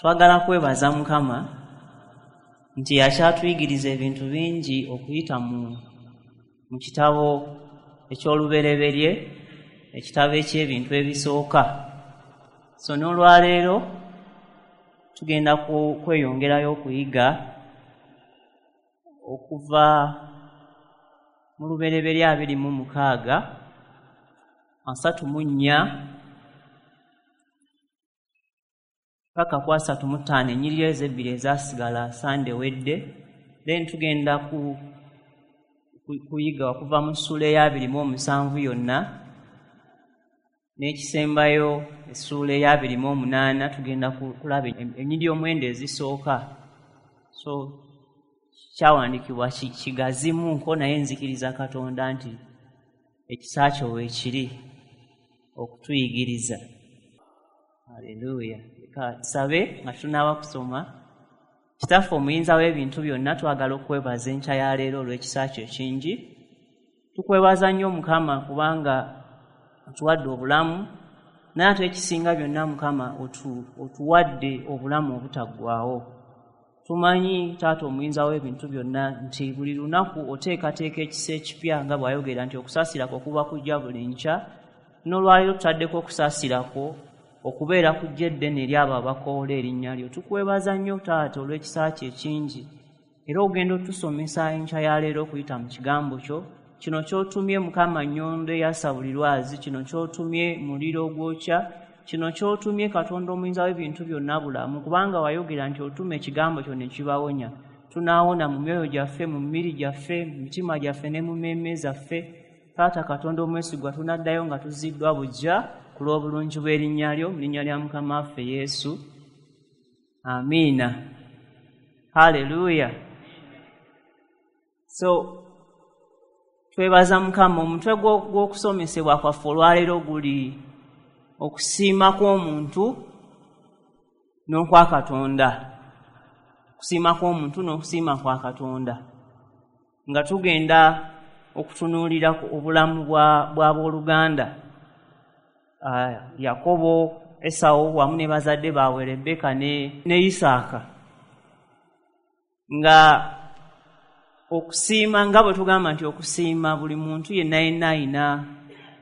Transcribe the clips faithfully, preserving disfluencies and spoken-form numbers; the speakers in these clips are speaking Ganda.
Twagala kwebaza Mukama nti akyatuyigiriza ebintu bingi okuyita mu mu kitabo eky'olubereberye, ekitabo eky'ebintu ebisooka. So n'olwaleero tugenda kweyongerayo okuyiga okuva mu Lubereberye abiri mu mukaaga asatu mu nnya paka ku asatu mu ttaano, ennyiriri ezo ebbiri ezaasigala Sande wedde. Then tugenda ku kuyiga okuva mu ssuula ey'abiri mu omusanvu yonna n'ekisembayo essuula ey'abiri mu omunaana, tugenda kulaba ennyiriri omwenda ezisooka. So kyawandiikibwa kigazimu nko, naye nzikiriza Katonda nti ekisa kyo weekiri okutuyigiriza. Haleluya. Leka tusabe nga tunaaba kusoma. Kitaffe omuyinza w'ebintu byonna, twagala okwebaza enkya ya leero olw'ekisa kyo ekingi. Tukwebaza nnyo Mukama kubanga otuwadde obulamu, naye ate ekisinga byonna Mukama otuwadde obulamu obutaggwaawo. Tumanyi Taata omuyinza w'ebintu byonna nti buli lunaku oteekateeka ekisa ekipya, nga bw'ayogera nti okusaasira kwo kuba kujja buli nkya. N'olwaleero tutaddeko okusaasira kwo okubeera kujja eddene eri abo abakoola erinnya lyo. Tukwebaza nnyo Taata olw'ekisa kyo ekingi, era ogenda otusomesa enkya ya leero okuyita mu kigambo kyo. Kino ky'otumye Mukama nnyondo eyasa buli lwazi, kino ky'otumye muliro ogwokya, kino ky'otumye Katonda omuyinza w'ebintu byonna bulamu, kubanga wayogera nti otuma ekigambo kyo ne kibawonya. Tunaawona mu myoyo gyaffe, mu mibiri gyaffe, mu mitima gyaffe ne mu mmeeme zaffe. Taata Katonda omwesigwa, tunaddayo nga tuziddwa buggya ku lw'obulungi bw'erinnya lyo, mu linnya lya Mukama waffe Yesu. Amiina. Haleluya. So twebaza Mukama. Omutwe gw'okusomesebwa kwaffe olwaleero guli okusiima kw'omuntu n'okwa Katonda. Okusiima kw'omuntu n'okusiima kwa Katonda, nga tugenda okutunuulira obulamu bw'abooluganda Yakobo, Esawu wamu ne bazadde baabwe Rebeka ne, ne Isaaka. Nga okusiima, nga bwe tugamba nti okusiima, buli muntu yenna yenna ayina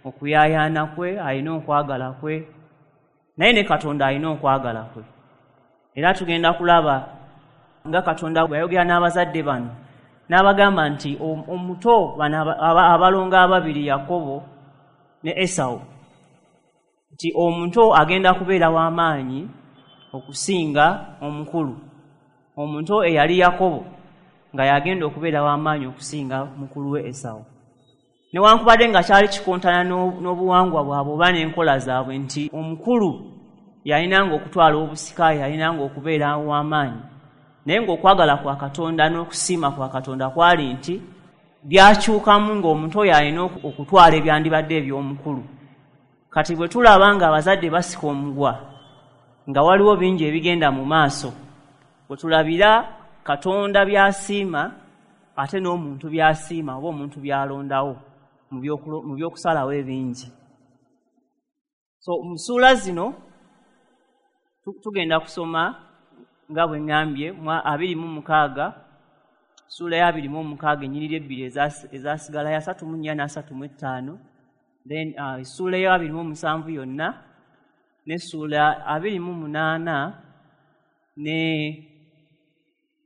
okuyaayaana kwe, alina okwagala kwe, naye ne Katonda alina okwagala kwe. Era tugenda kulaba nga Katonda bwe yayogera n'abazadde bano n'abagamba nti omuto bano abalongo ababiri Yakobo ne Esawu, nti omuto agenda kubeera w'amaanyi okusinga omukulu. Omuto eyali Yakobo nga yagenda okubeera w'amaanyi okusinga mukulu we Esawu. Newankubadde nga kyali kikontana n'obuwangwa bwabwe oba n'enkola zaabwe nti omukulu yalinanga okutwala obusika, yalinanga okubeera w'amaanyi, naye ng'okwagala kwa Katonda n'okusiima kwa Katonda kwali nti byakyukamu ng'omuntu oyo alina okutwala ebyandibadde eby'omukulu. Kati bwe tulaba nga abazadde basika omugwa, nga waliwo bingi ebigenda mu maaso, bwe tulabira Katonda by'asiima ate n'omuntu by'asiima oba omuntu by'alondawo mu by'okusalawo ebingi. So mu ssuula zino tugenda kusoma nga bwe ŋŋambye mu abiri mu mukaaga, ssuula ya abiri mu mukaaga ennyiriri ebbiri ezaasigala ya asatu mu nnya n'asatu mu ttaano, then essuula uh, ya abiri mu musanvu yonna n'essuula abiri mu munaana ne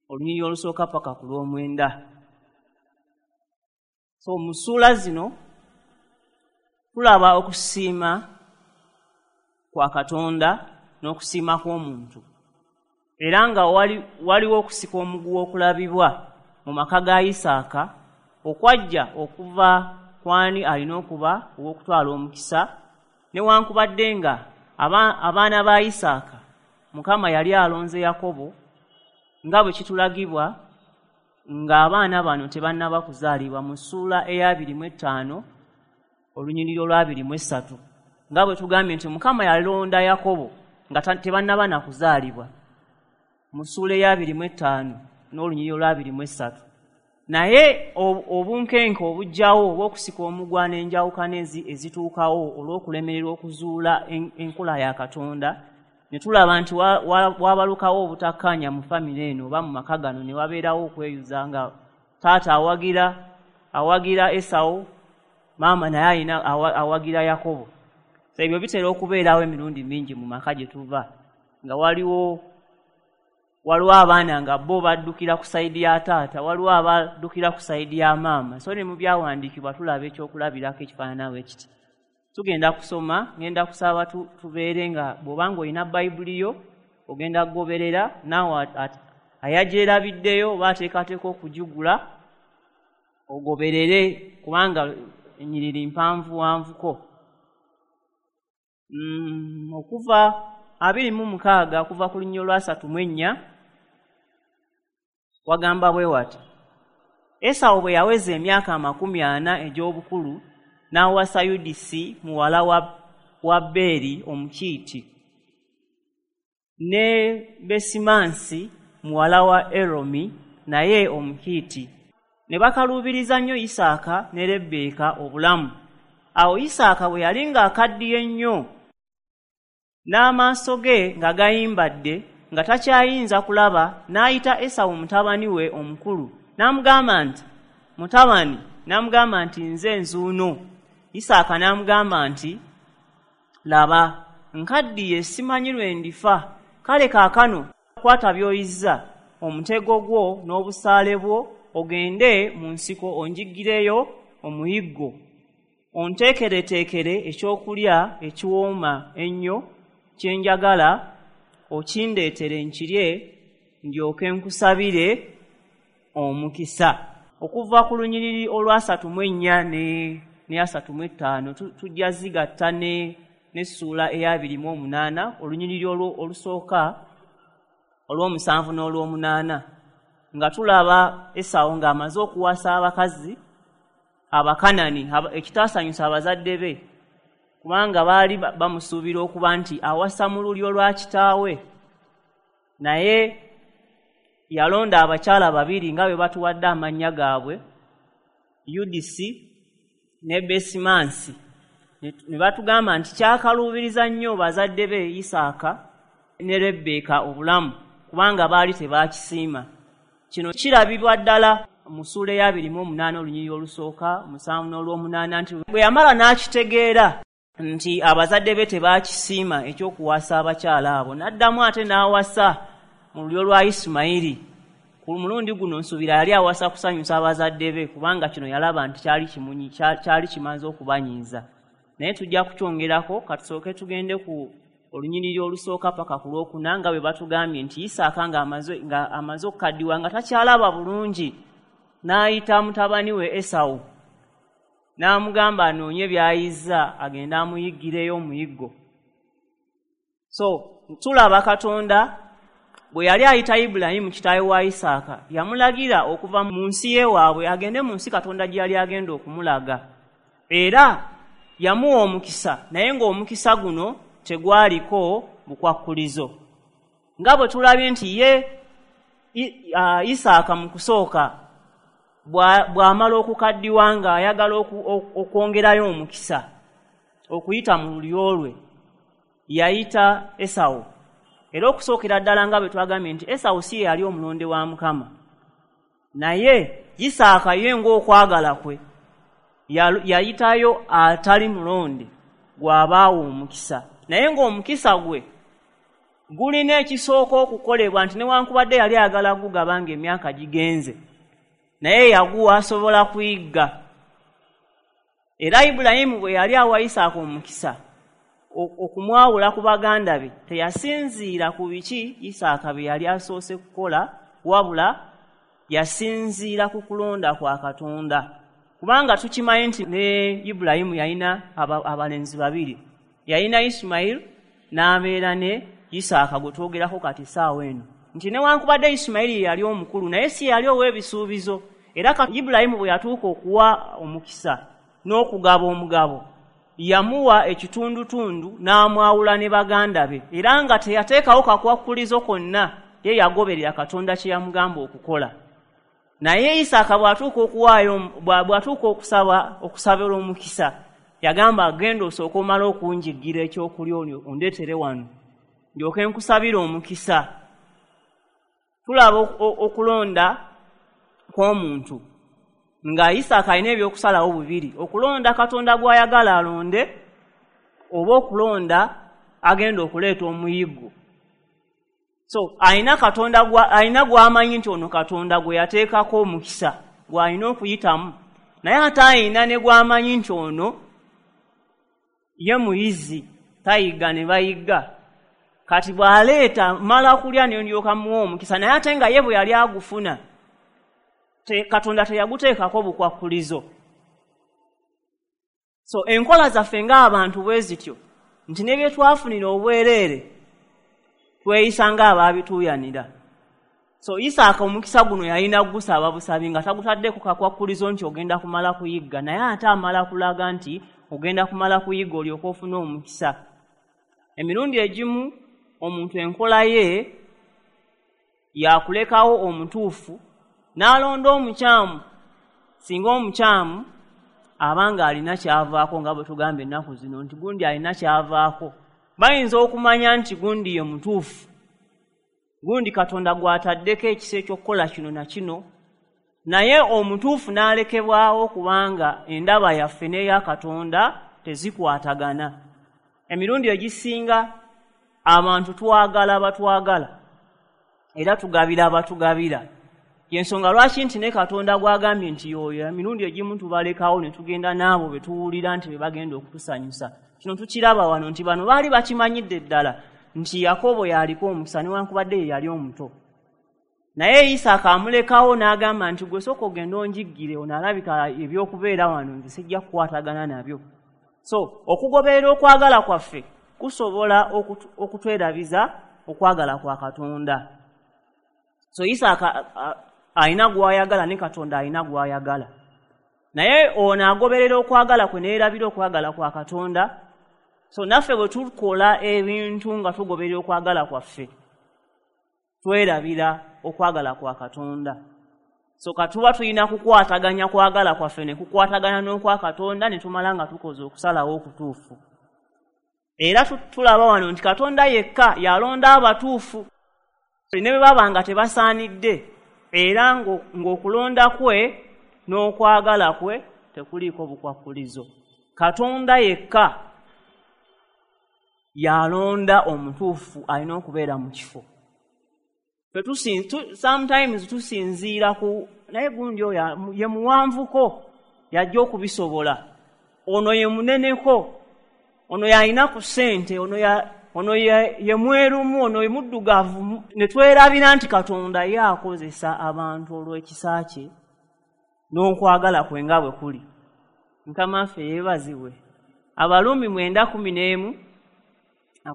olunyiriri olusooka paka ku lw'omwenda. So mu ssuula zino tulaba okusiima kwa Katonda n'okusiima kw'omuntu, era nga waliwo okusika omuguwa okulabibwa mu maka ga Isaaka okwajja okuva kwani alina okuba ow'okutwala omukisa, newankubadde nga abaana ba Isaaka Mukama yali alonze Yakobo, nga bwe kitulagibwa ng'abaana bano tebannaba kuzaalibwa mu ssuula ey'abiri mu ttaano olunyiriri olw'abiri mu essatu, nga bwe tugambye nti Mukama yalonda Yakobo nga tebannaba na kuzaalibwa mu ssuula ey'abiri mu ttaano n'olunyiriri olw'abiri mu essatu. Naye obunkenke obujjawo obw'okusika omugwa n'enjawukana ezituukawo olw'okulemererwa okuzuula enkola ya Katonda Ne tulaba nti wabalukawo obutakkaanya mu famire eno oba mu maka gano, ne wabeerawo okweyuza nga taata awagira awagira Esawu, maama naye alina awagira Yakobo. So ebyo bitera okubeerawo emirundi mingi mu maka gye tuva, nga waliwo waliwo abaana nga bo baddukira ku sayidi ya taata, waliwo abaddukira ku sayidi ya maama. So ne mu byawandiikibwa tulaba ekyokulabirako ekifaanana bwe kiti. Tugenda kusoma, ngenda kusaba tubeere nga bw'obanga olina Bayibuli yo ogenda kugoberera, naawe ayagyerabiddeyo oba ateekateeka okugigula ogoberere, kubanga ennyiriri mpanvu wanvuko. Mm, okuva abiri mu mukaaga okuva ku lunyiriri lwa asatu mu ennya wagamba bwe wati: Esawu bwe yaweza emyaka amakumi ana egy'obukulu n'awasa Yudisi muwala wa, wa Beeri Omukiiti, ne Besimansi muwala wa Eromi naye Omukiiti. Ne bakaluubiriza nnyo Isaaka ne Lebbeeka obulamu. Awo Isaaka bwe yali ng'akaddiye nnyo, n'amaaso ge nga gayimbadde, nga takyayinza kulaba, n'ayita Esawu mutabani we omukulu, n'amugamba nti, mutabani, n'amugamba nti, nze nzuuno. Isaaka n'amugamba nti, laba, nkaddiye simanyi lwe ndifa, kale kaakano kwata by'oyizza, omutego gwo n'obusaale bwo, ogende mu nsiko onjiggireyo omuyiggo, onteekereteekere ekyokulya ekiwooma ennyo kye njagala, okindeetere nkirye, ndyoke nkusabire omukisa. Okuva ku lunyiriri olwasatu mu ennya ne ne asatu mu ettaano tujja zigatta ne n'essuula ey'abiri mu omunaana, olunyiriri olusooka olw'omusanvu n'olw'omunaana, nga tulaba Esawu ng'amaze okuwasa abakazi Abakanani, ekitaasanyusa abazadde be, kubanga baali bamusuubira okuba nti awasa mu lulyo lwa kitaawe. Naye yalonda abakyala babiri nga bwe batuwadde amannya gaabwe, Yudisi ne Besimansi. Ne batugamba nti kyakaluubiriza nnyo bazadde be Isaaka ne Lebbeeka obulamu, kubanga baali tebaakisiima. Kino kirabibwa ddala mu ssuula ey'abiri mu omunaana olunyiriri olusooka musanvu n'olw'omunaana, nti bwe yamala n'akitegeera nti abazadde be tebaakisiima ekyokuwasa abakyala abo, n'addamu ate n'awasa mu lulyo lwa Isimayiri. Ku mulundi guno nsuubira yali awasa kusanyusa abazadde be, kubanga kino yalaba nti kyali kimunyi kyali kimaze okubanyiiza. Naye tujja kukyongerako, katusooke tugende ku olunyiriri olusooka paka ku lwokuna, nga bwe batugambye nti Isaaka ng'amaze nga amaze okukaddiwa nga takyalaba bulungi, n'ayita mutabani we Esawu n'amugamba anoonye by'ayizza agende amuyiggireyo omuyiggo. So tulaba Katonda bwe yali ayita Ibulayimu kitaawe wa Isaaka, yamulagira okuva mu nsi y'ewaabwe agende mu nsi Katonda gye yali agenda okumulaga. Era yamuwa omukisa, naye ng'omukisa guno tegwaliko bukwakkulizo. Nga bwe tulabye nti ye Isaaka mu kusooka bw'amala okukaddiwa ng'ayagala okwongerayo omukisa okuyita mu lulyo lwe, yayita Esawu. Era okusookera ddala nga bwe twagambye nti Esawu si ye yali omulonde wa Mukama, naye Isaaka ye ng'okwagala kwe yayitayo atali mulonde gw'abaawa omukisa, naye ng'omukisa gwe gulina ekisooka okukolebwa, nti newankubadde yali ayagala gugaba ng'emyaka gigenze, naye yaguwa asobola kuyigga. Era Ibulayimu bwe yali awa Isaaka omukisa okumwawula ku baganda be, teyasinziira ku biki Isaaka bye yali asoose kukola, wabula yasinziira ku kulonda kwa Katonda. Kubanga tukimanyi nti ne Ibulayimu yalina abalenzi babiri, yalina Isimayiri n'abeera ne Isaaka gwe twogerako kati essaawa eno, nti newankubadde Isimayiri yali omukulu, naye si yali ow'ebisuubizo. Era Ibulayimu bwe yatuuka okuwa omukisa n'okugaba omugabo, yamuwa ekitundutundu n'amwawula ne baganda be, era nga teyateekawo kakwakkulizo konna, ye yagoberera Katonda kye yamugamba okukola. Naye Isaaka bw'atuuka okuwaayo bw'atuuka okusaba okusabira omukisa, yagamba, genda osooke omale okunjiggira ekyokulya ondeetere wano. ndyoke nkusabira omukisa. Tulaba okulonda kw'omuntu nga Isaaka alina ebyokusalawo bubiri, okulonda Katonda gw'ayagala alonde oba okulonda agenda okuleeta omuyiggo. So alina Katonda alina gw'amanyi nti ono Katonda gwe yateekako omukisa gw'alina okuyitamu, naye ate alina ne gw'amanyi nti ono ye muyizi tayiga ne bayigga. Kati bw'aleeta mala kulya ne ndyoka muwa omukisa, naye ate nga ye bwe yali agufuna te, Katonda teyaguteekako bukwakkulizo. So enkola zaffe ng'abantu bwe zityo nti ne bye twafunira obwereere tweyisa ng'abaabituuyanira. So Isaaka omukisa guno yalina gusaba busabi nga tagutaddeko kakwakkulizo nti ogenda kumala kuyigga, naye ate amala kulaga nti ogenda kumala kuyigga olyoke ofune omukisa. Emirundi egimu omuntu enkola ye yakulekawo omutuufu n'alonda omukyamu, singa omukyamu abanga alina kyavaako, nga bwe tugamba ennaku zino nti gundi alina kyavaako. Bayinza okumanya nti gundi ye mutuufu, gundi Katonda gw'ataddeko ekisa eky'okukola kino na kino, naye omutuufu n'alekebwawo kubanga endaba yaffe n'eya Katonda tezikwatagana. Emirundi egisinga abantu twagala batwagala era tugabira abatugabira. Yensonga lwaki nti ne Katonda gw'agambye nti y'oyo, emirundi egimu tubalekawo ne tugenda n'abo be tuwulira nti be bagenda okutusanyusa. Kino tukiraba wano nti bano baali bakimanyidde ddala nti Yakobo yaliko omukisa newankubadde ye yali omuto, naye Isaaka amulekawo n'agamba nti gwe sooka ogenda onjiggire, ono alabika ebyokubeera wano nze sijja kukwatagana nabyo. So okugoberera okwagala kwaffe kusobola okutwerabiza okwagala kwa Katonda. So Isaaka alina gw'ayagala ne Katonda alina gw'ayagala, naye ono agoberera okwagala kwe neerabira okwagala kwa Katonda. So naffe bwe tukola ebintu nga tugoberera okwagala kwaffe twerabira okwagala kwa Katonda. So katuba tulina kukwataganya kwagala kwaffe ne kukwatagana n'okwa Katonda ne tumala nga tukoze okusalawo okutuufu. Era tulaba wano nti Katonda yekka yalonda abatuufu ne bwe baba nga tebasaanidde, era ng'okulonda kwe n'okwagala kwe tekuliiko bukwakkulizo. Katonda yekka yalonda omutuufu alina okubeera mu kifo. Sometimes tusinziira ku naye gundi oyo ye muwanvuko yajja okubisobola, ono ye muneneko, ono yalina ku ssente, ono ya ono ye, ye mwerumu, ono ye muddugavu, ne twerabira nti Katonda ye akozesa abantu olw'ekisa kye n'okwagala kwe nga bwe kuli. Mukama waffe yeebazibwe. Abaluumi mwenda kumi n'emu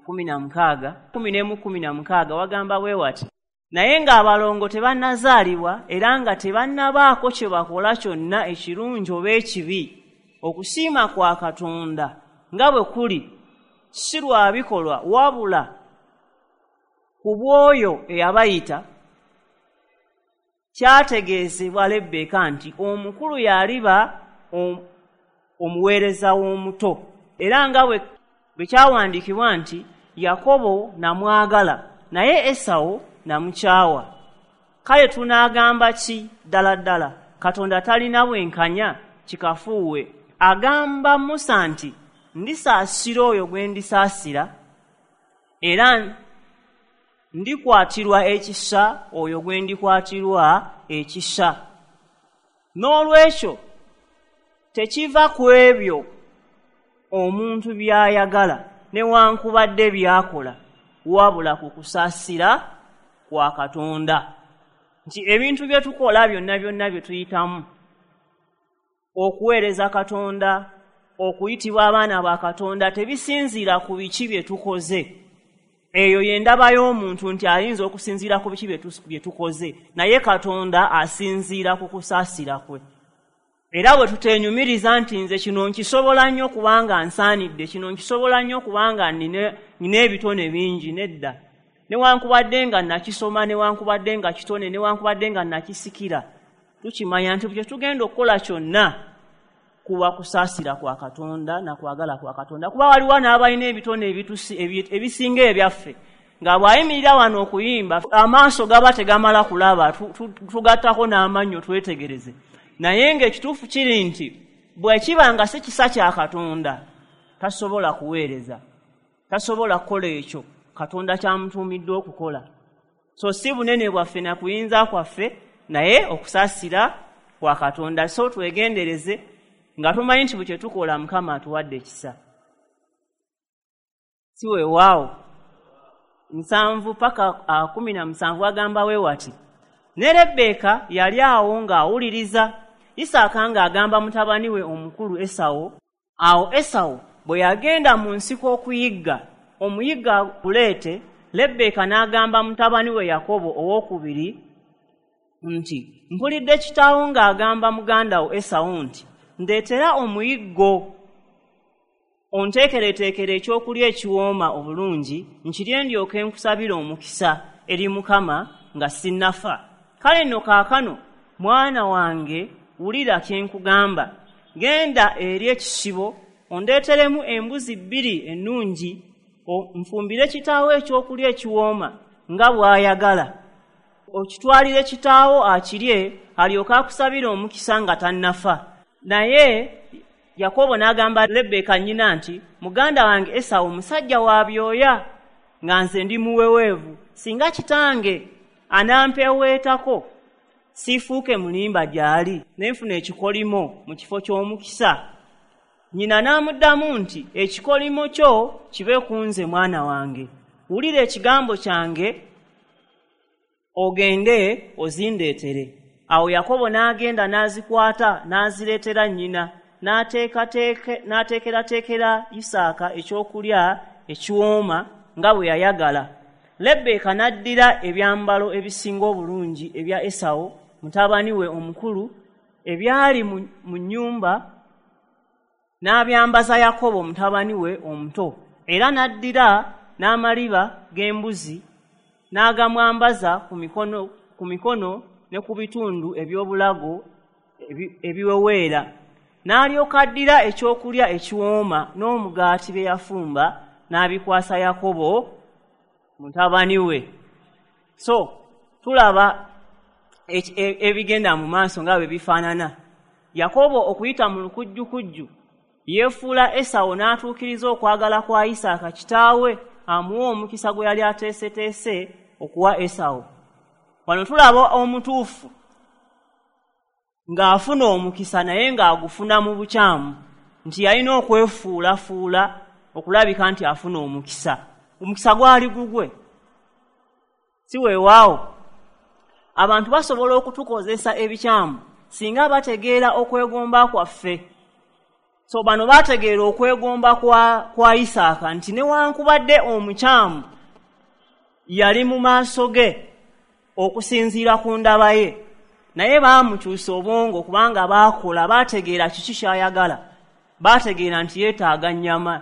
kumi na mukaaga kumi n'emu kumi na mukaaga wagamba bwe wati, naye ng'abalongo tebannazaalibwa era nga tebannabaako kye bakola kyonna ekirungi oba ekibi, okusiima kwa Katonda nga bwe kuli si lwa bikolwa wabula ku bw'oyo eyabayita, kyategeezebwa Lebbeeka nti omukulu yaliba omuweereza w'omuto, era nga bwe kyawandiikibwa nti Yakobo namwagala naye Esawu namukyawa. Kale tunaagamba ki ddala ddala? Katonda talina bwenkanya? Kikafuuwe. Agamba Musa nti ndisaasira oyo gwe ndisaasira, era ndikwatirwa ekisa oyo gwe ndikwatirwa ekisa. N'olwekyo tekiva ku ebyo omuntu by'ayagala newankubadde by'akola, wabula ku kusaasira kwa Katonda. Nti ebintu bye tukola byonna byonna bye tuyitamu okuweereza Katonda, okuyitibwa abaana ba Katonda, tebisinziira ku biki bye tukoze. Eyo y'endaba y'omuntu nti ayinza okusinziira ku biki bye tukoze, naye Katonda asinziira ku kusaasira kwe. Era bwe tuteenyumiriza nti nze kino nkisobola nnyo kubanga nsaanidde, kino nkisobola nnyo kubanga nina ebitone bingi, nedda. Newankubadde nga nakisoma, newankubadde nga kitone, newankubadde nga nakisikira, tukimanya nti bwe tugenda okukola kyonna kuba kusaasira kwa Katonda na kwagala kwa Katonda. Kuba waliwo n'abalina ebitone ebisinga ebyaffe, nga bw'ayimirira wano okuyimba amaaso gaba tegamala kulaba, tugattako n'amannyo twetegereze. Naye ng'ekituufu kiri nti bwe kiba nga si kisa kya Katonda, tasobola kuweereza, tasobola kukola ekyo Katonda ky'amutuumidde okukola. So si bunene bwaffe na kuyinza kwaffe, naye okusaasira kwa Katonda. So twegendereze nga tumanyi nti buli kye tukola Mukama atuwadde ekisa. Si weewaawo. Nsanvu paka kumi na musanvu agamba we wati, ne Rebbeeka yali awo ng'awuliriza Isaaka ng'agamba mutabani we omukulu Esawo. Awo Esawo bwe yagenda mu nsiko okuyigga, omuyigga aguleete, Lebbeeka n'agamba mutabani we Yakobo owookubiri nti, mpulidde kitaawo ng'agamba muganda wo Esawo nti, ndeetera omuyiggo, onteekereteekere ekyokulya ekiwooma obulungi, nkirye ndyoke nkusabire omukisa eri Mukama nga sinnafa. Kale nno kaakano mwana wange wulira kye nkugamba, genda eri ekisibo ondeeteremu embuzi bbiri ennungi, nfumbire kitaawo ekyokulya ekiwooma nga bw'ayagala, okitwalire kitaawo akirye, alyoke akusabire omukisa nga tannafa. Naye Yakobo n'agamba Lebbeeka nnyina nti, muganda wange Esawu musajja wa byoya, nga nze ndi muweweevu. Singa kitange anampeweetako, siifuuke mulimba gy'ali, ne nfuna ekikolimo mu kifo ky'omukisa. Nnyina n'amuddamu nti, ekikolimo kyo kibe ku nze mwana wange, wulira ekigambo kyange, ogende ozindeetere. Awo Yakobo n'agenda n'azikwata n'azireetera nnyina, n'ateekerateekera Isaaka ekyokulya ekiwooma nga bwe yayagala. Lebbeeka n'addira ebyambalo ebisinga obulungi ebya Esawu mutabani we omukulu ebyali mu nnyumba, n'abyambaza Yakobo mutabani we omuto. Era n'addira n'amaliba g'embuzi n'agamwambaza ku mikono, ku mikono ne ku bitundu eby'obulago ebiweweera. N'alyoka addira ekyokulya ekiwooma n'omugaati bye yafumba n'abikwasa Yakobo mutabani we. So tulaba ebigenda mu maaso nga bwe bifaanana. Yakobo okuyita mu lukujjukujju yeefuula Esawu n'atuukiriza okwagala kwa Isaaka kitaawe amuwa omukisa gwe yali ateeseteese okuwa Esawu. Wano tulaba omutuufu ng'afuna omukisa naye ng'agufuna mu bukyamu, nti yalina okwefuulafuula okulabika nti afuna omukisa. Omukisa gwali gugwe. Si weewaawo. Abantu basobola okutukozesa ebikyamu singa bategeera okwegomba kwaffe. So bano bategeera okwegomba kwa, kwa Isaaka nti newankubadde omukyamu yali mu maaso ge okusinziira ku ndaba ye, naye baamukyusa obwongo kubanga baakola, baategeera kiki ky'ayagala, baategeera nti yeetaaga nnyama.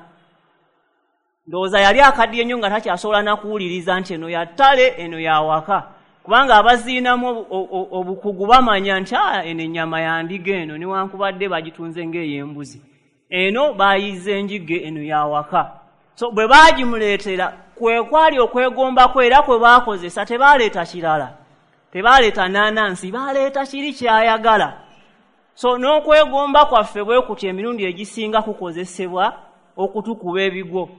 Ndowooza yali akaddiye nnyo nga takyasobola na kuwuliriza nti eno ya ttale, eno ya waka, kubanga abaziinamu obukugu bamanya nti eno ennyama ya ndiga eno newankubadde bagitunze ng'ey'embuzi, eno baayize enjige, eno ya waka. So bwe baagimuleetera kwe kwali okwegomba kwe era kwe baakozesa, tebaaleeta kirala, tebaaleeta naanansi, baaleeta kiri ky'ayagala. So n'okwegomba kwaffe bwe kutyo emirundi egisinga kukozesebwa okutukuba ebigwo.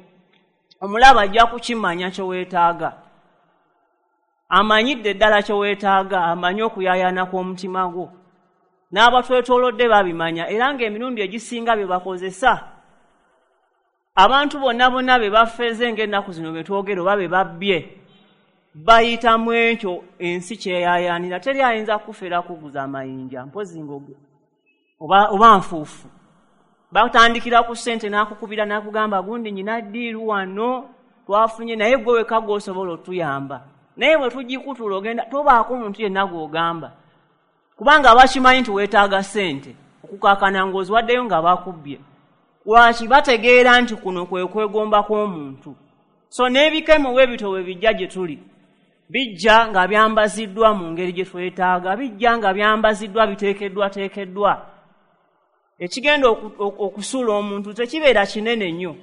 Omulaba ajja kukimanya kye weetaaga, amanyidde ddala kye weetaaga, amanyi okuyaayaana kw'omutima gwo. N'abatwetoolodde babimanya, era ng'emirundi egisinga bye bakozesa abantu bonna bonna be bafeeze ng'ennaku zino be twogera oba be babbye, bayitamu ekyo ensi kyeyaayaanira. Teri ayinza kufera kuguza amayinja mpozi ng'ogwo oba, oba nfuufu. Batandikira ku ssente n'akukubira n'akugamba gundi nyina ddiiru wano twafunye, naye gwe wekka gw'osobola otuyamba. Naye bwe tugikutula ogenda tobaako muntu yenna gw'ogamba, kubanga bakimanyi nti weetaaga ssente okukaakana ng'oziwaddeyo nga bakubbye. Lwaki? Bategeera nti kuno kwe kwegomba kw'omuntu. So n'ebikemo bwe bityo bwe bijja gye tuli, bijja nga byambaziddwa mu ngeri gye twetaaga, bijja nga byambaziddwa biteekeddwateekeddwa. Ekigenda okusuula omuntu tekibeera kinene nnyo,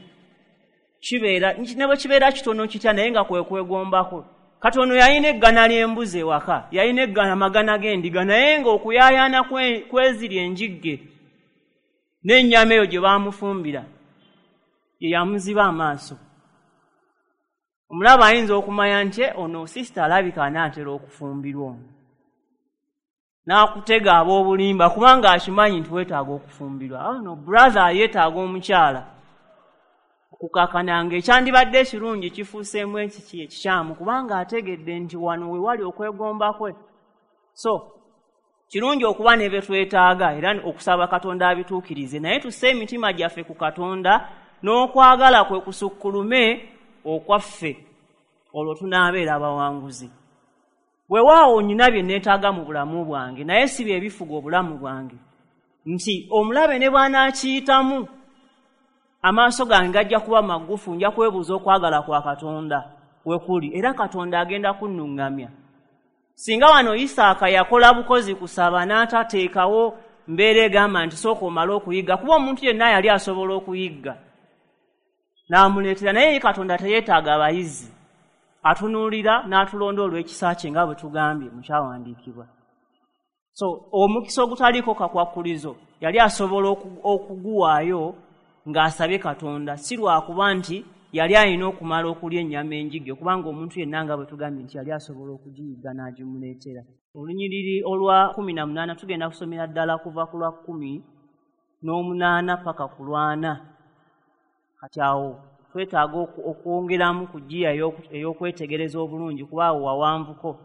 Kibeera ne bwe kibeera kitono kitya, naye nga kwe kwegombako. Katono yalina eggana ly'embuzi ewaka, yalina eggana amagana g'endiga, naye ng'okuyaayaana kweziri enjigge n'ennyama eyo gye baamufumbira ye yamuziba amaaso. Omulaba ayinza okumanya nti ono sisita alabika anaatera okufumbirwa ono, n'akutega ab'obulimba kubanga akimanyi nti weetaaga okufumbirwa. Ono brother yeetaaga omukyala. Okukakananga ekyandibadde ekirungi kifuuseemu ekiki ekikyamu, kubanga ategedde nti wano we wali okwegomba kwe. So kirungi okuba ne bye twetaaga era okusaba Katonda abituukirize, naye tusse emitima gyaffe ku Katonda n'okwagala kwe kusukkulume okwaffe, olwo tunaabeera abawanguzi. Weewaawo nnyina bye neetaaga mu bulamu bwange, naye si bye bifuga obulamu bwange, nti omulabe ne bw'anaakiyitamu amaaso gange gajja kuba magufu, nja kwebuuza okwagala kwa Katonda we kuli, era Katonda agenda kunnuŋŋamya. Singa wano Isaaka yakola bukozi kusaba n'atateekawo mbeera egamba nti sooka omale okuyigga, kuba omuntu yenna yali asobola okuyigga n'amuleetera, naye Katonda teyeetaaga abayizi, atunuulira n'atulonda olw'ekisa kye nga bwe tugambye mu kyawandiikibwa. So omukisa ogutaliiko kakwakkulizo yali asobola okuguwaayo ng'asabye Katonda, si lwakuba nti yali alina okumala okulya ennyama enjigge, kubanga omuntu yenna nga bwe tugambye nti yali asobola okugiyigga n'agimuleetera. Olunyiriri olwa kkumi na munaana tugenda kusomera ddala kuva ku lwa kkumi n'omunaana paka ku lwana. Kati awo twetaaga okwongeramu ku ggiya ey'okwetegereza obulungi, kuba awo wawanvuko.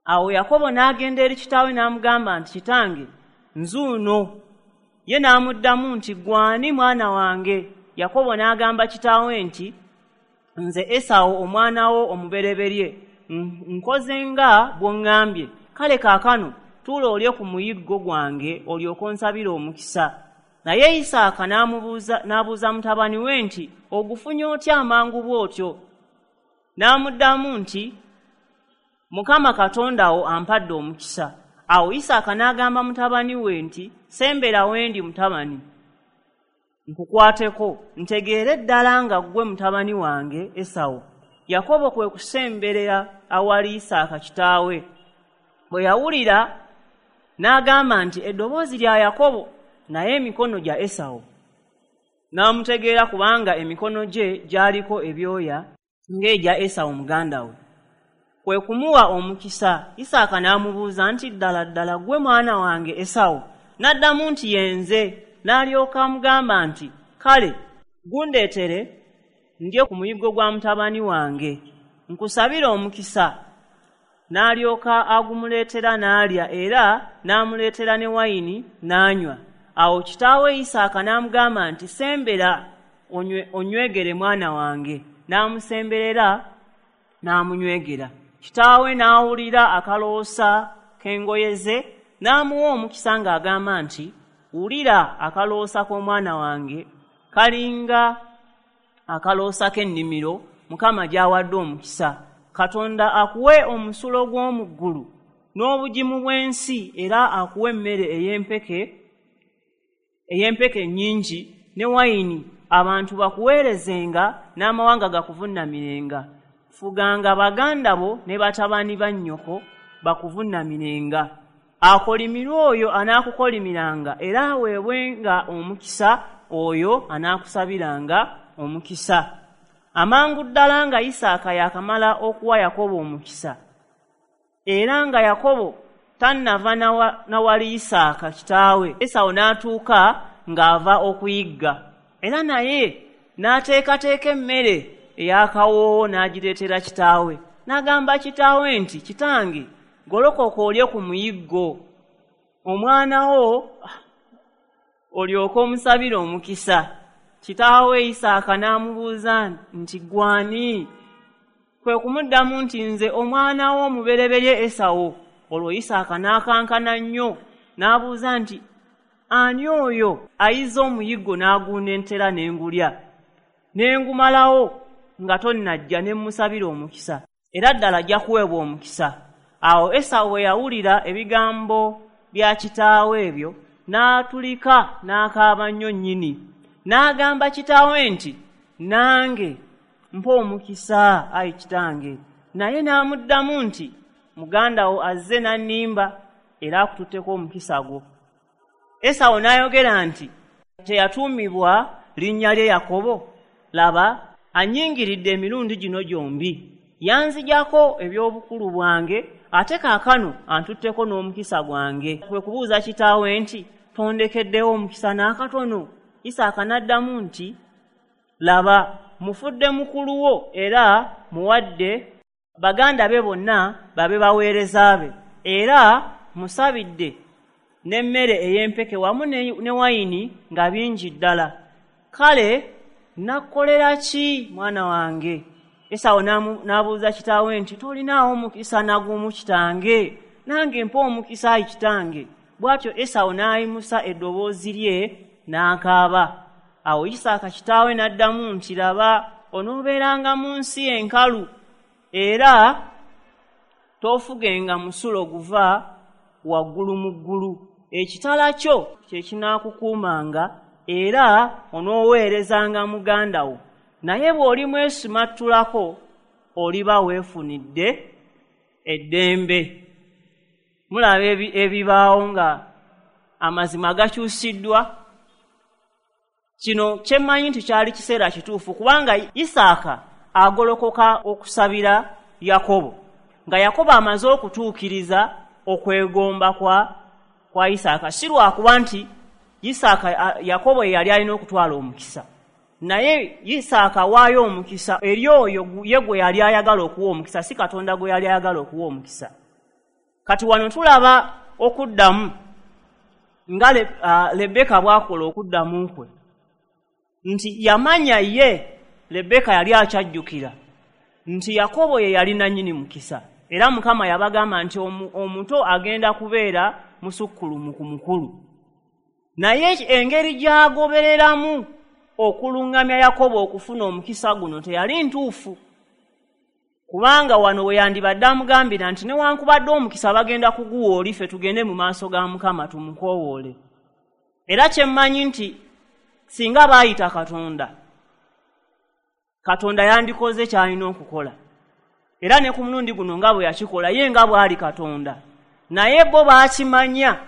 Awo Yakobo n'agenda eri kitaawe n'amugamba nti, kitange nzuuno. Ye n'amuddamu nti, gwani mwana wange? Yakobo n'agamba kitaawe nti, nze Esawu omwana wo omubereberye, nkoze nga bw'oŋŋambye. Kale kaakano tuula olye ku muyiggo gwange olyoke onsabire omukisa. Naye Isaaka n'amubuuza n'abuuza mutabani we nti, ogufunye otya amangu bw'otyo? N'amuddamu nti, Mukama Katonda wo ampadde omukisa. Awo Isaaka n'agamba mutabani we nti, sembera wendi mutabani, nkukwateko, ntegeere ddala nga ggwe mutabani wange Esawu. Yakobo kwe kusemberera awali Isaaka kitaawe. Bwe yawulira n'agamba nti, eddoboozi lya Yakobo, naye emikono gya Esawu. N'amutegeera kubanga emikono gye gyaliko ebyoya ng'egya Esawu muganda we. Kwe kumuwa omukisa. Isaaka n'amubuuza nti, ddala ddala ggwe mwana wange Esawu? N'addamu nti, ye nze. N'alyoka amugamba nti, kale gundeetere ndye ku muyiggo gwa mutabani wange, nkusabire omukisa. N'alyoka agumuleetera n'alya, era n'amuleetera ne wayini n'anywa. Awo kitaawe Isaaka n'amugamba nti, sembera onywegere mwana wange. N'amusemberera n'amunywegera. Kitaawe n'awulira akaloosa k'engoye ze, n'amuwa omukisa ng'agamba nti, wulira akaloosa k'omwana wange kalinga akaloosa k'ennimiro Mukama gy'awadde omukisa. Katonda akuwe omusulo gw'omu ggulu n'obugimu bw'ensi, era akuwe emmere ey'empeke ey'empeke nnyingi ne wayini, abantu bakuweerezenga n'amawanga gakuvunnamirenga. Fuganga baganda bo ne batabani ba nnyoko bakuvunnamirenga. Akolimirwe oyo anaakukolimiranga, era aweebwenga omukisa oyo anaakusabiranga omukisa. Amangu ddala nga Isaaka yakamala okuwa Yakobo omukisa, era nga Yakobo tannava nawali Isaaka kitaawe, Esawu n'atuuka ng'ava okuyigga, era naye n'ateekateeka emmere ey'akawoowo n'agireetera kitaawe. N'agamba kitaawe nti, kitange, golokoka olye ku muyiggo, omwana wo olyoke omusabire omukisa. Kitaawe Isaaka n'amubuuza nti, gwani? Kwe kumuddamu nti, nze omwana wo omubereberye Esawu. Olwo Isaaka n'akankana nnyo n'abuuza nti, ani oyo ayiza omuyiggo n'aguneetera n'engulya, n'engumalawo nga tonnajja ne mmusabira omukisa? Era ddala ajja kuweebwa omukisa. Awo Esawu bwe yawulira ebigambo bya kitaawe ebyo, n'atulika n'akaaba nnyo nnyini. N'agamba kitaawe nti, Nange mpa omukisa, ayi kitange. Naye n'amuddamu nti, Muganda wo azze n'annimba, era akututteko omukisa gwo. Esawu n'ayogera nti, Teyatuumibwa linnya lye Yakobo? Laba, annyingiridde emirundi gino gyombi. Yanzigyako eby'obukulu bwange, ate kaakano antutteko n'omukisa gwange. Kwe kubuuza kitaawe nti, Tondekeddewo omukisa n'akatono? Isaaka n'addamu nti, Laba, mufudde mukulu wo era muwadde baganda be bonna babe baweereza be, era musabidde n'emmere ey'empeke wamu ne wayini nga bingi ddala. Kale nakkolera ki, mwana wange? Esawu n'abuuza kitaawe nti, Tolinaawo mukisa nagumu kitange? Nange mpa omukisa, ayi kitange. Bw'atyo Esawu n'ayimusa eddoboozi lye n'akaaba. Awo Isaaka kitaawe n'addamu nti, Laba, onoobeeranga mu nsi enkalu, era toofugenga musulo guva waggulu mu ggulu. Ekitala kyo kye kinaakukuumanga, era onooweerezanga muganda wo. Naye bw'olimwesimattulako, oliba weefunidde eddembe. Mulaba ebibaawo nga amazima gakyusiddwa. Kino kye mmanyi nti kyali kiseera kituufu, kubanga Isaaka agolokoka okusabira Yakobo, nga Yakobo amaze okutuukiriza okwegomba kwa kwa Isaaka. Si lwakuba nti Isaaka Yakobo ye yali alina okutwala omukisa, naye Isaaka awaayo omukisa eri oyo ye gwe yali ayagala okuwa omukisa, si Katonda gwe yali ayagala okuwa omukisa. Kati wano tulaba okuddamu nga Lebbeeka bw'akola okuddamu kwe, nti yamanya ye Lebbeeka yali akyajjukira nti Yakobo ye yali nannyini mukisa, era Mukama yabagamba nti omuto agenda kubeera musukkulumu ku mukulu. Naye engeri gy'agobereramu okuluŋŋamya Yakobo okufuna omukisa guno teyali ntuufu, kubanga wano we yandibadde amugambira nti newankubadde omukisa bagenda kuguwa oli, ffe tugende mu maaso ga Mukama tumukoowoole. Era kye mmanyi nti singa baayita Katonda, Katonda yandikoze ky'alina okukola. Era ne ku mulundi guno nga bwe yakikola, ye nga bw'ali Katonda. Naye bo baakimanya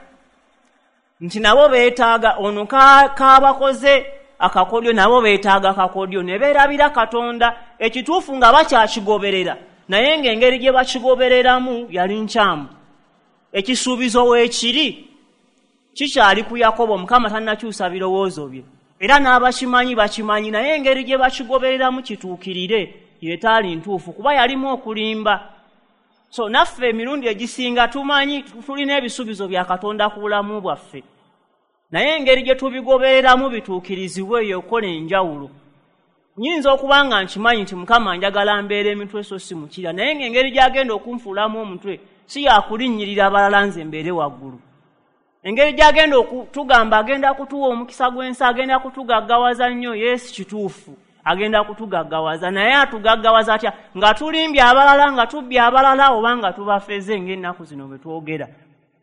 nti nabo beetaaga ono kaabakoze akakodyo, nabo beetaaga kakodyo, ne beerabira Katonda. Ekituufu nga bakyakigoberera, naye ng'engeri gye bakigobereramu yali nkyamu. Ekisuubizo weekiri kikyali ku Yakobo, Mukama tannakyusa birowoozo bye, era n'abakimanyi bakimanyi, naye engeri gye bakigobereramu kituukirire yetaali ntuufu, kuba yalimu okulimba. So naffe emirundi egisinga tumanyi tulina ebisuubizo bya Katonda ku bulamu bwaffe, naye engeri gye tubigobereramu bituukirizibwe eyo okukola enjawulo. Nnyinza okuba nga nkimanyi nti Mukama njagala mbeera emitwe so si mukira, naye ng'engeri gy'agenda okunfuulamu omutwe si yakulinnyirira abalala nze mbeere waggulu. Engeri gy'agenda okutugamba agenda kutuwa omukisa gw'ensi, agenda kutugaggawaza nnyo, yeesi kituufu agenda kutugaggawaza, naye atugaggawaza atya? Nga tulimbye abalala, nga tubbye abalala, oba nga tubafeze ng'ennaku zino bwe twogera.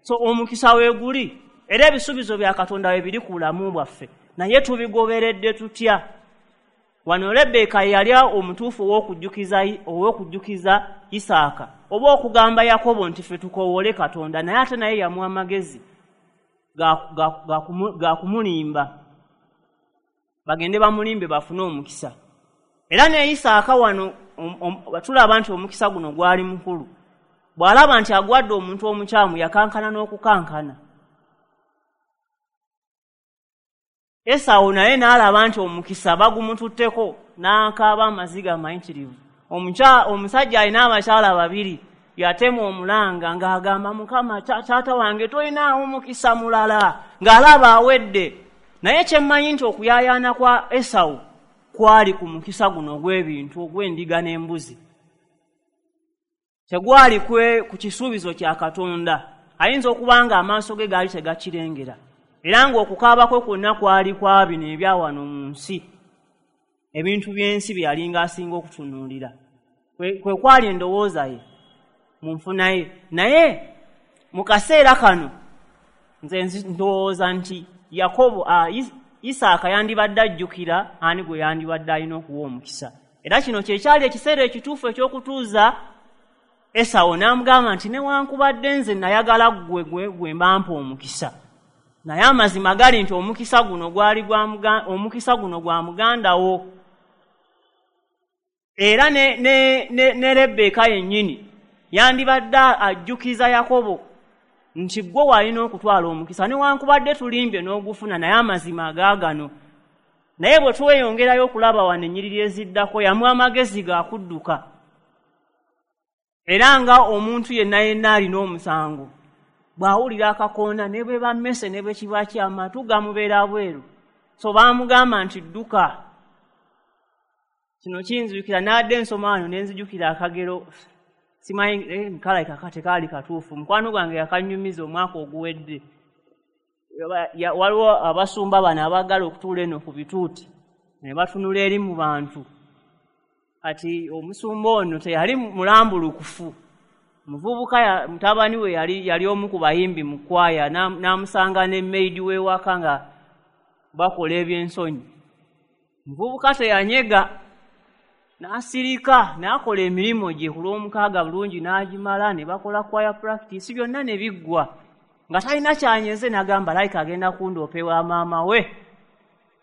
So omukisa weeguli, era ebisuubizo bya Katonda we biri ku bulamu bwaffe, naye tubigoberedde tutya? Wano Lebbeeka yali omutuufu ow'okujjukiza ow'okujjukiza Isaaka oba okugamba Yakobo nti ffe tukoowole Katonda, naye ate naye yamuwa amagezi ga kumulimba, bagende bamulimbe bafune omukisa. Era ne Isaaka wano tulaba nti omukisa guno gwali mukulu. Bw'alaba nti agwadde omuntu omukyamu, yakankana n'okukankana. Esawu naye n'alaba nti omukisa bagumututteko, n'akaaba amaziga amayitirivu. Omusajja alina abakyala babiri, yatema omulanga ng'agamba, Mukama taata wange tolinaawo mukisa mulala, ng'alaba awedde. Naye kye mmanyi nti okuyaayaana kwa Esawu kwali ku mukisa guno ogw'ebintu, ogw'endiga n'embuzi, tegwali ku kisuubizo kya Katonda. Ayinza okuba nga amaaso ge gaali tegakirengera, era ng'okukaaba kwe kwonna kwali kwa bino ebya wano mu nsi, ebintu by'ensi bye yalinga asinga okutunuulira. Kwe kwali endowooza ye mu nfuna ye. Naye mu kaseera kano nze ndowooza nti Yakobo, Isaaka yandibadde ajjukira ani gwe yandibadde alina okuwa omukisa. Era kino kye kyali ekiseera ekituufu eky'okutuuza Esawo n'amugamba nti newankubadde nze nayagala ggwe gwe mbampa omukisa, naye amazima gali nti omukisa guno gwali gwa omukisa guno gwa muganda wo. Era ne, ne, ne, ne Rebbeeka yennyini yandibadde ajjukiza Yakobo nti ggwe walina okutwala omukisa, newankubadde tulimbye n'ogufuna, naye amazima agaagano. Naye bwe tweyongerayo okulaba wano ennyiriri eziddako, yamuwa amagezi ga kudduka. Era nga omuntu yenna yenna alina omusango bw'awulira akakoona ne bwe bammese ne bwe kiba kyamatu gamubeera bweru. So baamugamba nti dduka. Kino kinzijukira n'adde ensoma wano ne nzijukira akagero, simanyi eh, nkalabika tekaali katuufu, mukwano gwange yakanyumiza omwaka oguwedde. Waliwo abasumba bano abaagala okutuula eno ku bituuti ne batunula eri mu bantu. Kati omusumba ono teyali mulambulukufu, muvubuka mutabani we yali yali omu ku bayimbi mu kwaya, n'amusanga ne maid w'ewaka nga bakola ebyensonyi. Muvubuka teyanyega, n'asirika n'akola emirimu gye ku lw'omukaaga bulungi n'agimala, ne bakola choir practice byonna ne biggwa nga talina kyanyeze. N'agamba layika agenda kundoopa ewa maama we.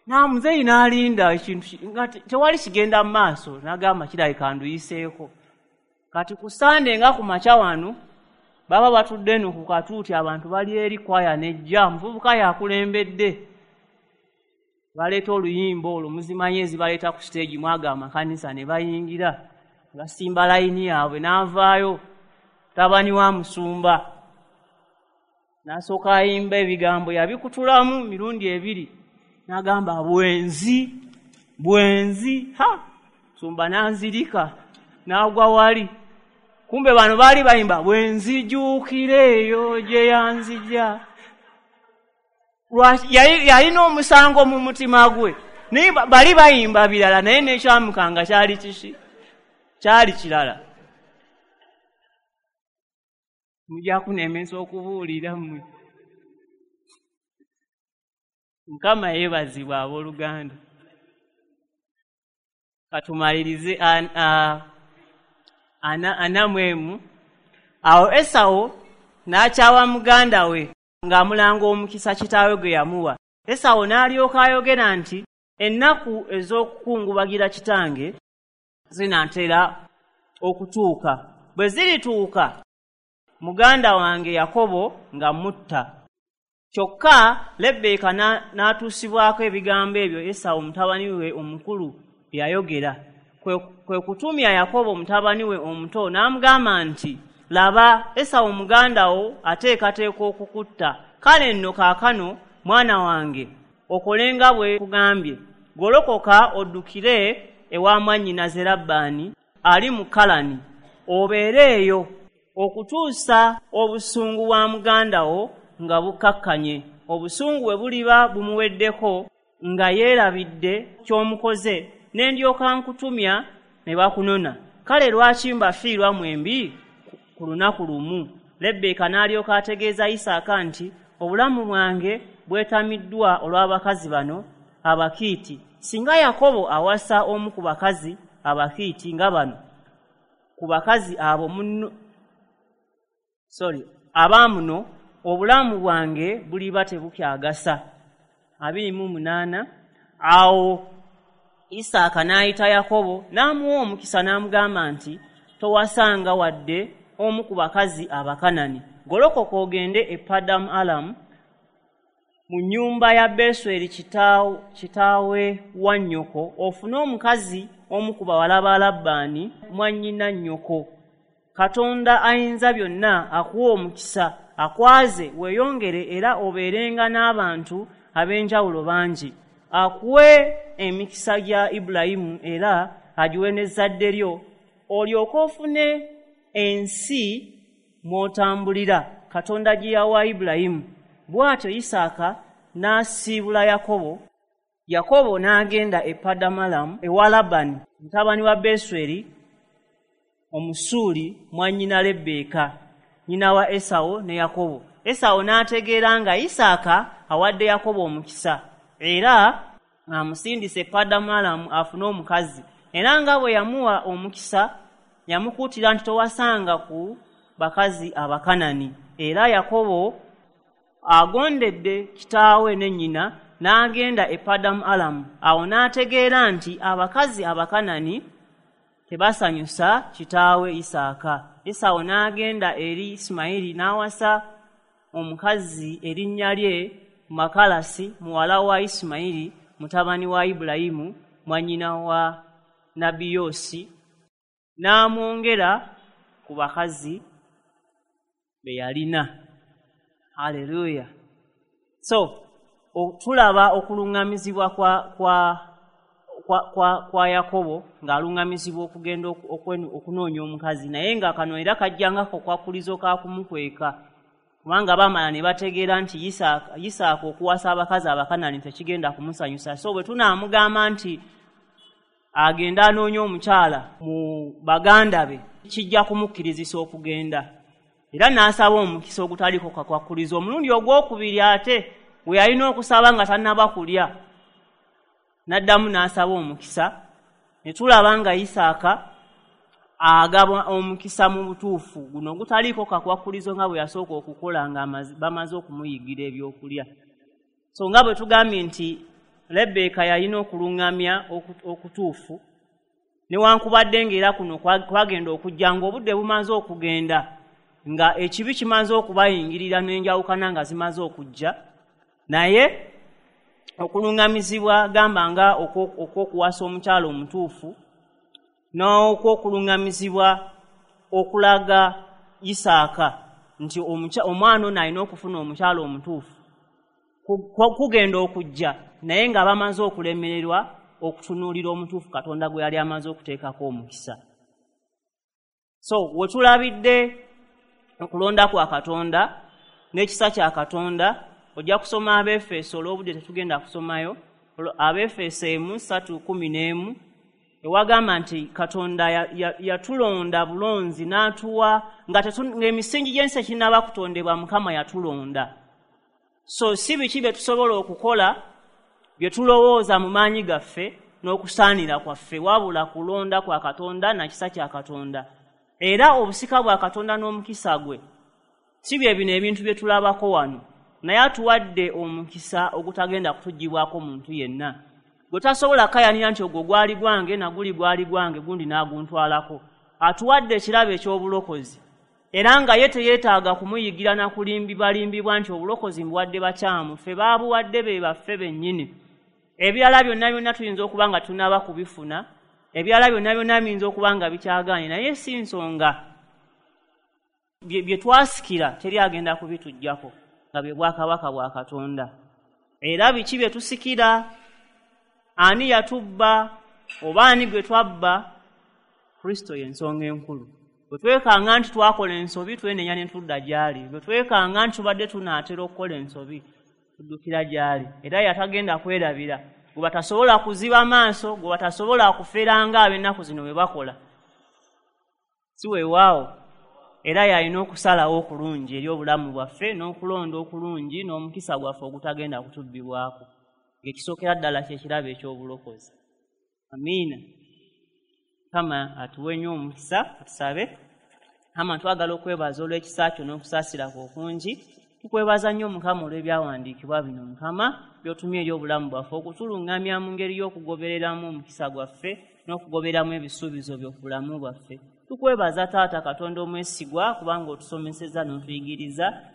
N'amuzeeyi n'alinda ekintu nga tewali kigenda mu maaso, n'agamba kirabika nduyiseeko. Kati ku Sande nga ku makya wano baba batudde eno ku katuuti, abantu bali eri kwaya nejja, muvubuka yakulembedde, baleeta oluyimba olwo muzimanyi ezibaleeta ku siteegi mwaga amakanisa, ne bayingira basimba layini yaabwe, n'avaayo mutabani wa musumba n'asooka ayimba ebigambo yabikutulamu mirundi ebiri, n'agamba bwenzi bwenzi. Ha, musumba n'anzirika n'agwa wali. Kumbe bano baali bayimba bwenzijuukira eyo gye yanzija. Yalina omusango mu mutima gwe, naye bali bayimba birala, naye n'ekyamukanga kyali kiki? Kyali kirala. Mujja kunemesa okubuulira mmwe. Mukama yeebazibwa abooluganda. Katumalirize ana mu emu. Awo Esawo n'akyawa muganda we ng'amulanga omukisa kitaawe gwe yamuwa. Esawo n'alyoka ayogera nti ennaku ez'okukungubagira kitange zinaatera okutuuka. Bwe zirituuka muganda wange Yakobo nga mutta. Kyokka Lebbeeka n'atuusibwako ebigambo ebyo Esawo mutabani we omukulu bye yayogera. Kwe kutumya Yakobo mutabani we omuto n'amugamba nti laba, Esawo muganda wo ateekateeka okukutta. Kale nno kaakano mwana wange okole nga bwe kugambye, golokoka oddukire ewa mwannyinaze Labbaani ali mu Kalani, obeere eyo okutuusa obusungu bwa muganda wo nga bukkakkanye. Obusungu bwe buliba bumuweddeko nga yeerabidde ky'omukoze, ne ndyoka nkutumya ne bakunona. Kale lwaki mbafiirwa mwembi ku lunaku lumu? Lebbeeka n'alyoka ategeeza Isaaka nti obulamu bwange bwetamiddwa olw'abakazi bano Abakiiti. Singa Yakobo awasa omu ku bakazi Abakiiti nga bano, ku bakazi abo munno sorry abaamuno, obulamu bwange buliba tebukyagasa. Abiri mu munaana. Awo Isaaka n'ayita Yakobo n'amuwa omukisa n'amugamba nti towasanga wadde omu ku bakazi Abakanani. Golokoka ogende e Padamu Alamu mu nnyumba ya Besweri kitaawe wa nnyoko, ofune omukazi omu ku bawala ba Labbaani mwannyina nnyoko. Katonda ayinza byonna akuwa omukisa, akwaze weeyongere era obeerenga n'abantu ab'enjawulo bangi. Akuwe emikisa gya Ibulayimu era agiwe n'ezzadde lyo, olyoke ofune ensi mw'otambulira Katonda gye yawa Ibulayimu. Bw'atyo Isaaka n'asiibula Yakobo. Yakobo n'agenda e Padamalamu ewa Labani mutabani wa Besweri Omusuuli mwannyina Lebbeeka, nnyina wa Esawo ne Yakobo. Esawo n'ategeera nga Isaaka awadde Yakobo omukisa. Era amusindise Padamu Alamu afune omukazi. Era nga bwe yamuwa omukisa, yamukuutira nti towasanga ku bakazi Abakanani. Era Yakobo agondedde kitaawe ne nnyina n'agenda e Padamu Alamu. Awo n'ategeera nti abakazi Abakanani tebasanyusa kitaawe Isaaka. Esawo n'agenda eri Isimayiri n'awasa omukazi erinnya lye Makalasi, muwala wa Isimayiri, mutabani wa Ibulayimu, mwannyina wa Nabiyoosi, n'amwongera ku bakazi be yalina. Haleluya. So tulaba okuluŋŋamizibwa kwa, kwa, kwa, kwa, kwa Yakobo ng'aluŋŋamizibwa okugenda okunoonya omukazi, naye nga kano era kajjangako kwakkulizo ka kumukweka, kubanga baamala ne bategeera nti Isaaka, Isaaka okuwasa abakazi Abakanani tekigenda kumusanyusa. So bwe tunaamugamba nti agenda anoonya omukyala mu baganda be, kijja kumukkirizisa okugenda. Era n'asaba omukisa ogutaliko kakwakkulizo. Omulundi ogwokubiri ate we yalina okusaba nga tannaba kulya, n'addamu n'asaba omukisa, ne tulaba nga Isaaka agaba omukisa mu butuufu guno ogutaliiko kakwakkulizo nga bwe yasooka okukola nga bamaze okumuyigira ebyokulya. So nga bwe tugambye nti Lebbeeka yalina okuluŋŋamya okutuufu, newankubadde ng'era kuno kwagenda okujja ng'obudde bumaze okugenda, nga ekibi kimaze okubayingirira n'enjawukana nga zimaze okujja, naye okuluŋŋamizibwa gamba nga okw'okuwasa omukyala omutuufu n'okw'okuluŋŋamizibwa okulaga Isaaka nti omwana ono alina okufuna omukyala omutuufu kugenda okujja, naye nga bamaze okulemererwa okutunuulira omutuufu Katonda gwe yali amaze okuteekako omukisa. So we tulabidde okulonda kwa Katonda n'ekisa kya Katonda, ojja kusoma Abeefeso, olw'obudde tetugenda kusomayo, Abeefeso emu ssatu kumi n'emu, ewagamba nti Katonda yatulonda ya, ya bulonzi n'atuwa nga ng'emisingi gy'ensi ekinnaba kutondebwa, Mukama yatulonda. So si biki bye tusobola okukola bye tulowooza mu maanyi gaffe n'okusaanira kwaffe, wabula kulonda kwa Katonda na kisa kya Katonda. Era obusika bwa Katonda n'omukisa gwe si bye bino ebintu bye tulabako wano, naye atuwadde omukisa ogutagenda kutuggyibwako muntu yenna, gwe tasobola kayanira nti ogwo gwali gwange naguli gwali gwange gundi n'aguntwalako. Atuwadde ekirabo eky'obulokozi, era nga ye teyeetaaga kumuyigira na kulimbibalimbibwa nti obulokozi mbuwadde bakyamu, ffe baabuwadde be baffe bennyini. Ebirala byonna byonna tuyinza okuba nga tunaba kubifuna, ebirala byonna byonna biyinza okuba nga bikyagaanye, naye si nsonga bye twasikira teri agenda kubituggyako nga bwe bwakabaka bwa Katonda. Era biki bye tusikira? Ani yatubba oba ani gwe twabba? Kristo y'ensonga enkulu. Bwe twekanga nti twakola ensobi, twenenya ne tudda gy'ali. Bwe twekanga nti tubadde tunaatera okukola ensobi, tuddukira gy'ali. Era yatagenda kwerabira, gwe batasobola kuziba maaso, gwe batasobola kufera ng'ab'ennaku zino bwe bakola. Si weewaawo, era yalina okusalawo okulungi eri obulamu bwaffe n'okulonda okulungi n'omukisa gwaffe ogutagenda kutubbibwako, ng'ekisookera ddala ky'ekirabo eky'obulokozi. Amiina. Mukama atuwe nnyo omukisa. Tusabe. Mukama, twagala okwebaza olw'ekisa kyo n'okusaasira kwo okungi. Tukwebaza nnyo Mukama olw'ebyawandiikibwa bino, Mukama, by'otumye eri obulamu bwaffe okutuluŋŋamya mu ngeri y'okugobereramu omukisa gwaffe n'okugobereramu ebisuubizo byo ku bulamu bwaffe. Tukwebaza Taata Katonda omwesigwa, kubanga otusomesezza n'otuyigiriza.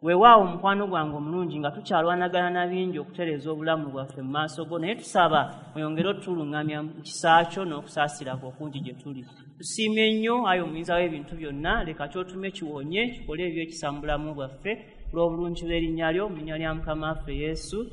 Weewaawo mukwano gwange omulungi, nga tukyalwanagana na bingi okutereeza obulamu bwaffe mu maaso go, naye tusaba oyongere otuluŋŋamya mu kisa kyo n'okusaasira kwo okungi gye tuli. Tusiimye nnyo ayi omuyinza w'ebintu byonna, leka ky'otume kiwonye kikole eby'ekisa mu bulamu bwaffe olw'obulungi bw'erinnya lyo, mu linnya lya Mukama waffe Yesu.